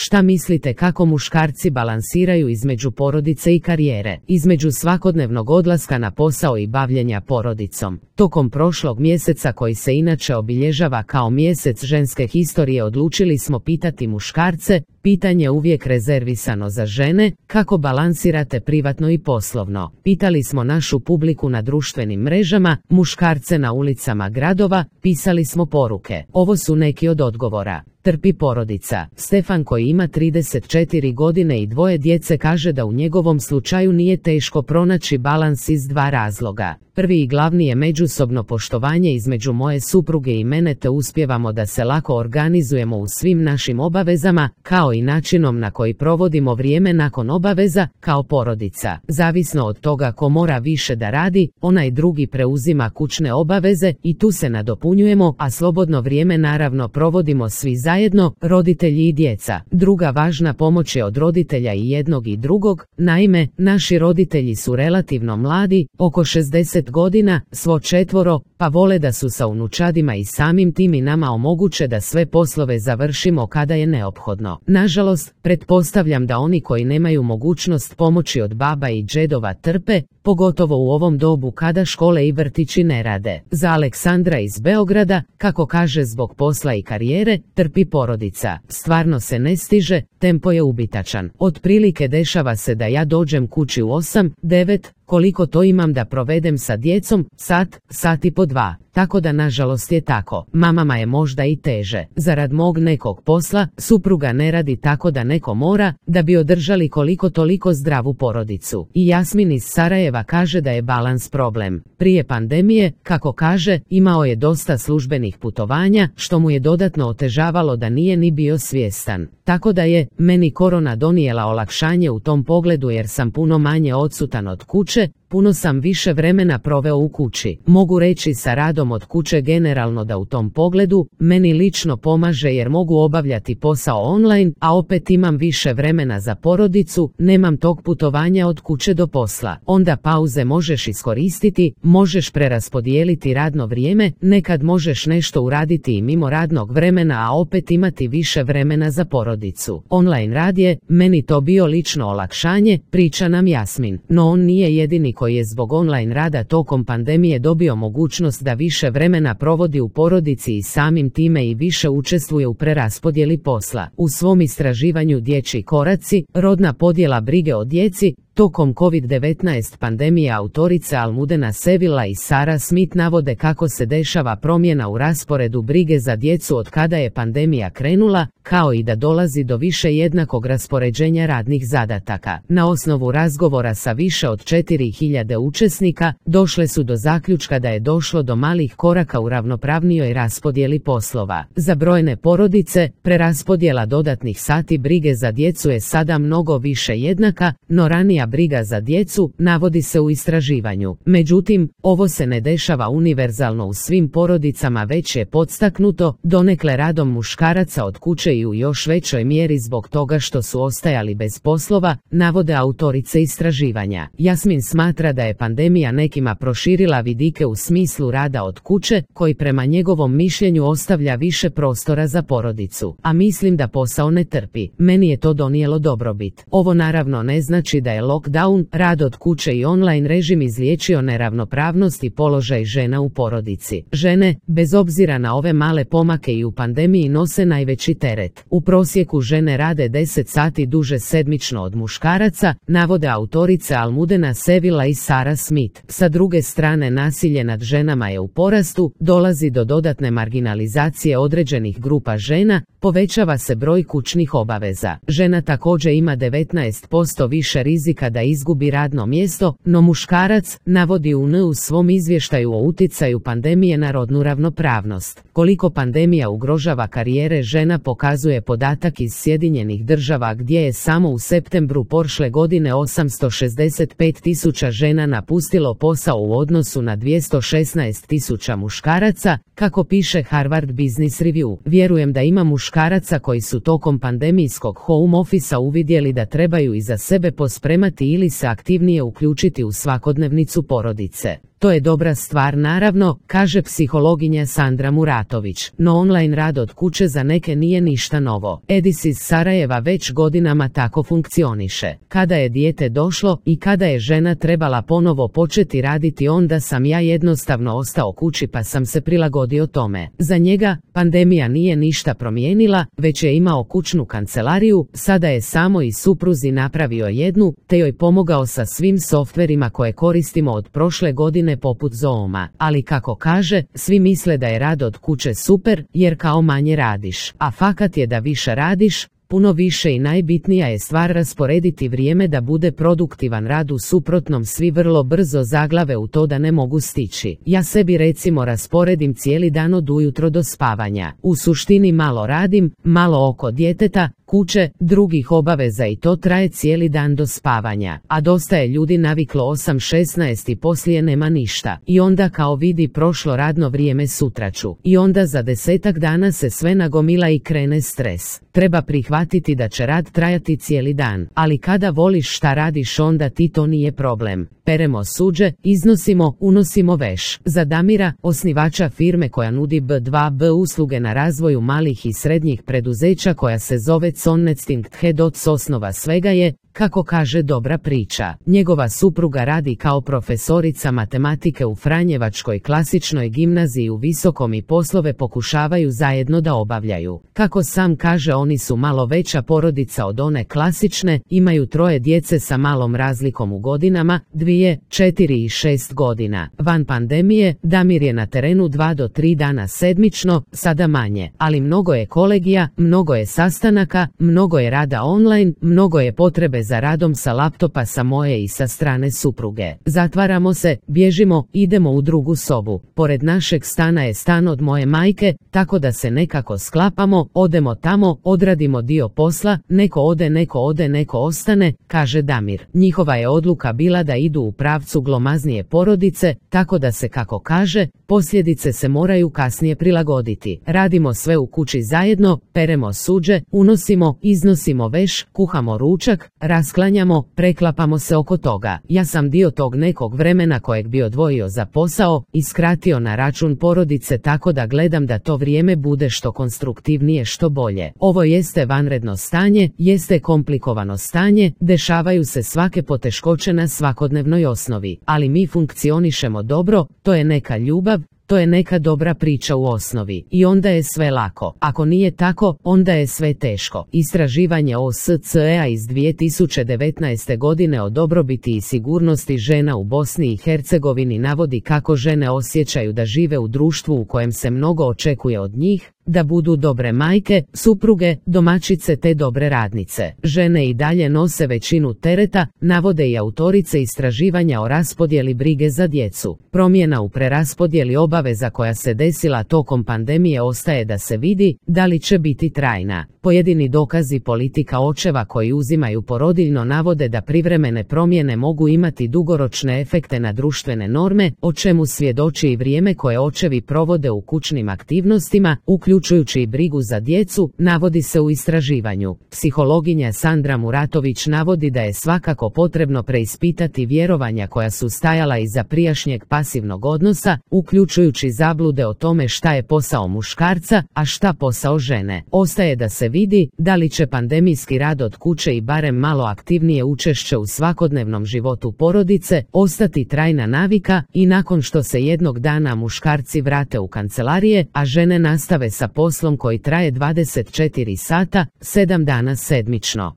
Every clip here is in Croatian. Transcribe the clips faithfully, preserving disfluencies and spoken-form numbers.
Šta mislite kako muškarci balansiraju između porodice i karijere, između svakodnevnog odlaska na posao i bavljenja porodicom? Tokom prošlog mjeseca, koji se inače obilježava kao mjesec ženske historije, odlučili smo pitati muškarce, pitanje uvijek rezervisano za žene, kako balansirate privatno i poslovno. Pitali smo našu publiku na društvenim mrežama, muškarce na ulicama gradova, pisali smo poruke. Ovo su neki od odgovora. Trpi porodica. Stefan, koji ima trideset četiri godine i dvoje djece, kaže da u njegovom slučaju nije teško pronaći balans iz dva razloga. Prvi i glavni je međusobno poštovanje između moje supruge i mene, te uspijevamo da se lako organizujemo u svim našim obavezama, kao i načinom na koji provodimo vrijeme nakon obaveza, kao porodica. Zavisno od toga ko mora više da radi, onaj drugi preuzima kućne obaveze i tu se nadopunjujemo, a slobodno vrijeme naravno provodimo svi zajedno, roditelji i djeca. Druga važna pomoć je od roditelja i jednog i drugog. Naime, naši roditelji su relativno mladi, oko šezdeset godina, svo četvoro, pa vole da su sa unučadima i samim tim i nama omoguće da sve poslove završimo kada je neophodno. Nažalost, pretpostavljam da oni koji nemaju mogućnost pomoći od baba i džedova trpe, pogotovo u ovom dobu kada škole i vrtići ne rade. Za Aleksandra iz Beograda, kako kaže, zbog posla i karijere, trpi porodica. Stvarno se ne stiže, tempo je ubitačan. Otprilike dešava se da ja dođem kući u osam, devet, koliko to imam da provedem sa djecom, sat, sat i po dva. Tako da nažalost je tako. Mamama je možda i teže. Zarad mog nekog posla, supruga ne radi, tako da neko mora, da bi održali koliko toliko zdravu porodicu. I Jasmin iz Sarajeva kaže da je balans problem. Prije pandemije, kako kaže, imao je dosta službenih putovanja, što mu je dodatno otežavalo da nije ni bio svjestan. Tako da je meni korona donijela olakšanje u tom pogledu, jer sam puno manje odsutan od kuće, puno sam više vremena proveo u kući. Mogu reći sa radom od kuće generalno da u tom pogledu meni lično pomaže, jer mogu obavljati posao online, a opet imam više vremena za porodicu, nemam tog putovanja od kuće do posla. Onda pauze možeš iskoristiti, možeš preraspodijeliti radno vrijeme, nekad možeš nešto uraditi i mimo radnog vremena, a opet imati više vremena za porodicu. Online rad je meni to bio lično olakšanje, priča nam Jasmin. No on nije jedini koji je zbog online rada tokom pandemije dobio mogućnost da više vremena provodi u porodici i samim time i više učestvuje u preraspodjeli posla. U svom istraživanju Dječji koraci, rodna podjela brige o djeci, tokom kovid devetnaest pandemije, autorice Almudena Sevilla i Sara Smith navode kako se dešava promjena u rasporedu brige za djecu od kada je pandemija krenula, kao i da dolazi do više jednakog raspoređenja radnih zadataka. Na osnovu razgovora sa više od četiri hiljade učesnika, došle su do zaključka da je došlo do malih koraka u ravnopravnijoj raspodjeli poslova. Za brojne porodice, preraspodjela dodatnih sati brige za djecu je sada mnogo više jednaka, no ranija briga za djecu, navodi se u istraživanju. Međutim, ovo se ne dešava univerzalno u svim porodicama, već je podstaknuto donekle radom muškaraca od kuće i u još većoj mjeri zbog toga što su ostajali bez poslova, navode autorice istraživanja. Jasmin smatra da je pandemija nekima proširila vidike u smislu rada od kuće, koji prema njegovom mišljenju ostavlja više prostora za porodicu. A mislim da posao ne trpi. Meni je to donijelo dobrobit. Ovo naravno ne znači da je lockdown, rad od kuće i online režim izliječio neravnopravnost i položaj žena u porodici. Žene, bez obzira na ove male pomake i u pandemiji, nose najveći teret. U prosjeku žene rade deset sati duže sedmično od muškaraca, navode autorice Almudena Sevilla i Sara Smith. Sa druge strane, nasilje nad ženama je u porastu, dolazi do dodatne marginalizacije određenih grupa žena, povećava se broj kućnih obaveza. Žena također ima devetnaest posto više rizika da izgubi radno mjesto, no muškarac, navodi U N u svom izvještaju o utjecaju pandemije na rodnu ravnopravnost. Koliko pandemija ugrožava karijere žena pokazuje podatak iz Sjedinjenih Država, gdje je samo u septembru prošle godine osamsto šezdeset pet tisuća žena napustilo posao u odnosu na dvjesto šesnaest tisuća muškaraca, kako piše Harvard Business Review. Vjerujem da ima muškaraca koji su tokom pandemijskog home office-a uvidjeli da trebaju i za sebe pospremati ili se aktivnije uključiti u svakodnevnicu porodice. To je dobra stvar naravno, kaže psihologinja Sandra Muratović, no online rad od kuće za neke nije ništa novo. Edis iz Sarajeva već godinama tako funkcioniše. Kada je dijete došlo i kada je žena trebala ponovo početi raditi, onda sam ja jednostavno ostao kući pa sam se prilagodio tome. Za njega pandemija nije ništa promijenila, već je imao kućnu kancelariju, sada je samo i supruzi napravio jednu, te joj pomogao sa svim softverima koje koristimo od prošle godine poput Zooma. Ali kako kaže, svi misle da je rad od kuće super, jer kao manje radiš. A fakat je da više radiš, puno više i najbitnija je stvar rasporediti vrijeme da bude produktivan rad, u suprotnom svi vrlo brzo zaglave u to da ne mogu stići. Ja sebi recimo rasporedim cijeli dan od ujutro do spavanja. U suštini malo radim, malo oko djeteta, kuće, drugih obaveza i to traje cijeli dan do spavanja. A dosta je ljudi naviklo osam šesnaest i poslije nema ništa. I onda kao vidi prošlo radno vrijeme, sutra ću. I onda za desetak dana se sve nagomila i krene stres. Treba prihvatiti da će rad trajati cijeli dan, ali kada voliš šta radiš onda ti to nije problem. Peremo suđe, iznosimo, unosimo veš. Za Damira, osnivača firme koja nudi B dva B usluge na razvoju malih i srednjih preduzeća koja se zove Sonnetstinkt Head, od osnova svega je, kako kaže, dobra priča. Njegova supruga radi kao profesorica matematike u Franjevačkoj klasičnoj gimnaziji u Visokom i poslove pokušavaju zajedno da obavljaju. Kako sam kaže, oni su malo veća porodica od one klasične, imaju troje djece sa malom razlikom u godinama, dvije, četiri i šest godina. Van pandemije, Damir je na terenu dva do tri dana sedmično, sada manje, ali mnogo je kolegija, mnogo je sastanaka, mnogo je rada online, mnogo je potrebe za radom sa laptopa sa moje i sa strane supruge. Zatvaramo se, bježimo, idemo u drugu sobu. Pored našeg stana je stan od moje majke, tako da se nekako sklapamo, odemo tamo, odradimo dio posla, neko ode, neko ode, neko ostane, kaže Damir. Njihova je odluka bila da idu u pravcu glomaznije porodice, tako da se, kako kaže, posljedice se moraju kasnije prilagoditi. Radimo sve u kući zajedno, peremo suđe, unosimo, iznosimo veš, kuhamo ručak, rasklanjamo, preklapamo se oko toga. Ja sam dio tog nekog vremena kojeg bi odvojio za posao i skratio na račun porodice, tako da gledam da to vrijeme bude što konstruktivnije, što bolje. Ovo jeste vanredno stanje, jeste komplikovano stanje, dešavaju se svake poteškoće na svakodnevnoj osnovi, ali mi funkcionišemo dobro, to je neka ljubav, to je neka dobra priča u osnovi i onda je sve lako. Ako nije tako, onda je sve teško. Istraživanje O S C E-a iz dvije tisuće devetnaeste godine o dobrobiti i sigurnosti žena u Bosni i Hercegovini navodi kako žene osjećaju da žive u društvu u kojem se mnogo očekuje od njih, da budu dobre majke, supruge, domaćice te dobre radnice. Žene i dalje nose većinu tereta, navode i autorice istraživanja o raspodjeli brige za djecu. Promjena u preraspodjeli obaveza koja se desila tokom pandemije ostaje da se vidi da li će biti trajna. Pojedini dokazi politika očeva koji uzimaju porodiljno navode da privremene promjene mogu imati dugoročne efekte na društvene norme, o čemu svjedoči i vrijeme koje očevi provode u kućnim aktivnostima, uključujući i brigu za djecu, navodi se u istraživanju. Psihologinja Sandra Muratović navodi da je svakako potrebno preispitati vjerovanja koja su stajala iza prijašnjeg pasivnog odnosa, uključujući zablude o tome šta je posao muškarca, a šta posao žene. Ostaje da se vidi da li će pandemijski rad od kuće i barem malo aktivnije učešće u svakodnevnom životu porodice ostati trajna navika i nakon što se jednog dana muškarci vrate u kancelarije, a žene nastave sa poslom koji traje dvadeset četiri sata, sedam dana sedmično.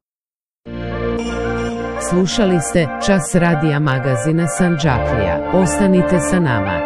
Slušali ste Čas radija magazina Sandžaklija. Ostanite sa nama.